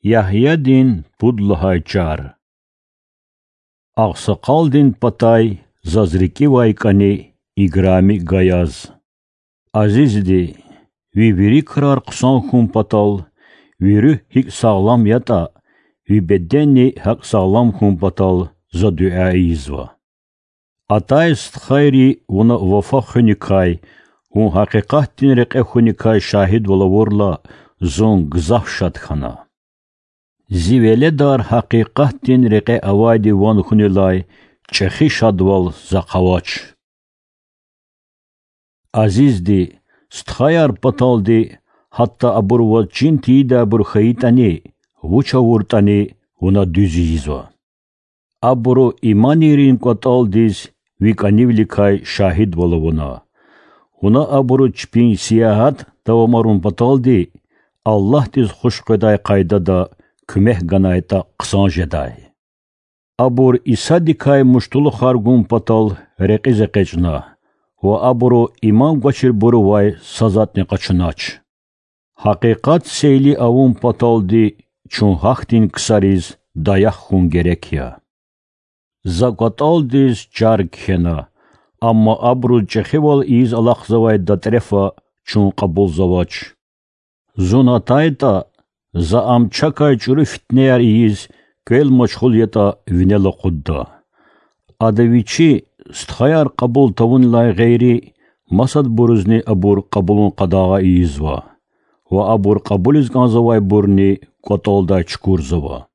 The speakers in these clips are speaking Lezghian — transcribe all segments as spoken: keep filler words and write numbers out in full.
Ягьядин пуд лагьай чар. Агъсакъалдин патай заз рикӀивай кӀани играми гаяз. Азизди, ви вири крар хъсан хьун патал, ви руьгь гьикӀ сагълам ятӀа, ви беденни гьакӀ сагълам хьун патал за дуьа ийизва. Атай стхайри вуна вафа хуьникай, вун гьакъикъатдин рекье хуьникай шагьидвал авурла, зун гзаф шад хьана. Зи веледар гьакъикъатдин рекье авайди ван хьунилай чӀехи шадвал захъ авач. Азизди, стхаяр паталди, гьатта абур ваз чин тийидайбур хьайитӀани, вуч авуртӀани, вуна дуьз ийизва. Абуру иманийрин кӀватӀалдиз ви кӀанивиликай шагьидвал авуна. Вуна абуру чпин сиягьат давамарун паталди, Аллагьдиз хуш къведай къайдада куьмек ганайтӀа хъсан жедай. Абур Исадикай муштулухар гун патал рекьиз экъечӀна ва абуру иман гвачирбурувай са затӀни къачунач. Гьакъикъат сейли авун паталди чун гьахьтин ксариз даях хьун герек я. За кӀватӀалдиз чар кхьена, амма абуруз чӀехивал ийиз алахъзавай датрефа чун кьабулзавач. Зун атайтӀа, за ам чакай чӀуру фитнеяр ийиз квел машгъул ятӀа винел акъудда. Ада вичи, стхаяр кьабул тавунилай гъейри, масадбурузни абур кьабулун къадагъа ийизва ва абур кьабулиз кӀанзавайбурни кӀватӀалдай чукурзава.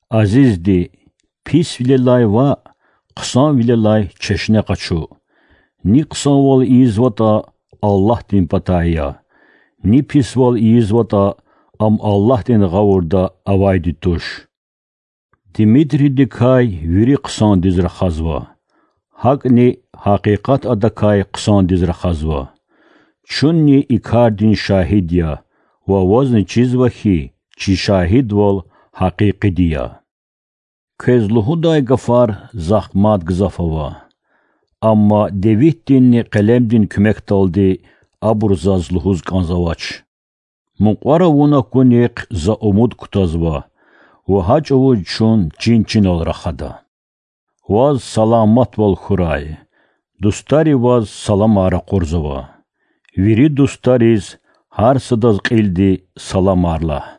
Азизди, писвилелай ваъ, хъсанвилелай чешне къачу. Ни хъсанвал ийизватӀа, Аллагьдин патай я, ни писвал ийизватӀа, ам Аллагьдин гъавурда авайди туш. Димитридикай вири хъсандиз рахазва. ГьакӀни гьакъикъат адакай хъсандиз рахазва. Чунни и кардин шагьид я, ва вазни чизва хьи, чи шагьидвал гьакъикъиди я. Квез лугьудай гафар захъ мад гзаф ава, амма девитдинни къелемдин куьмекдалди абур заз лугьуз кӀанзавач. Мукьвара вун акунихъ за умуд кутазва, ва гьа чӀавуз чун чин-чинал рахада. Ваз саламатвал хьурай. Дустари ваз саламар ракъурзава. Вири дустариз гьар садаз кьилди саламар лагь.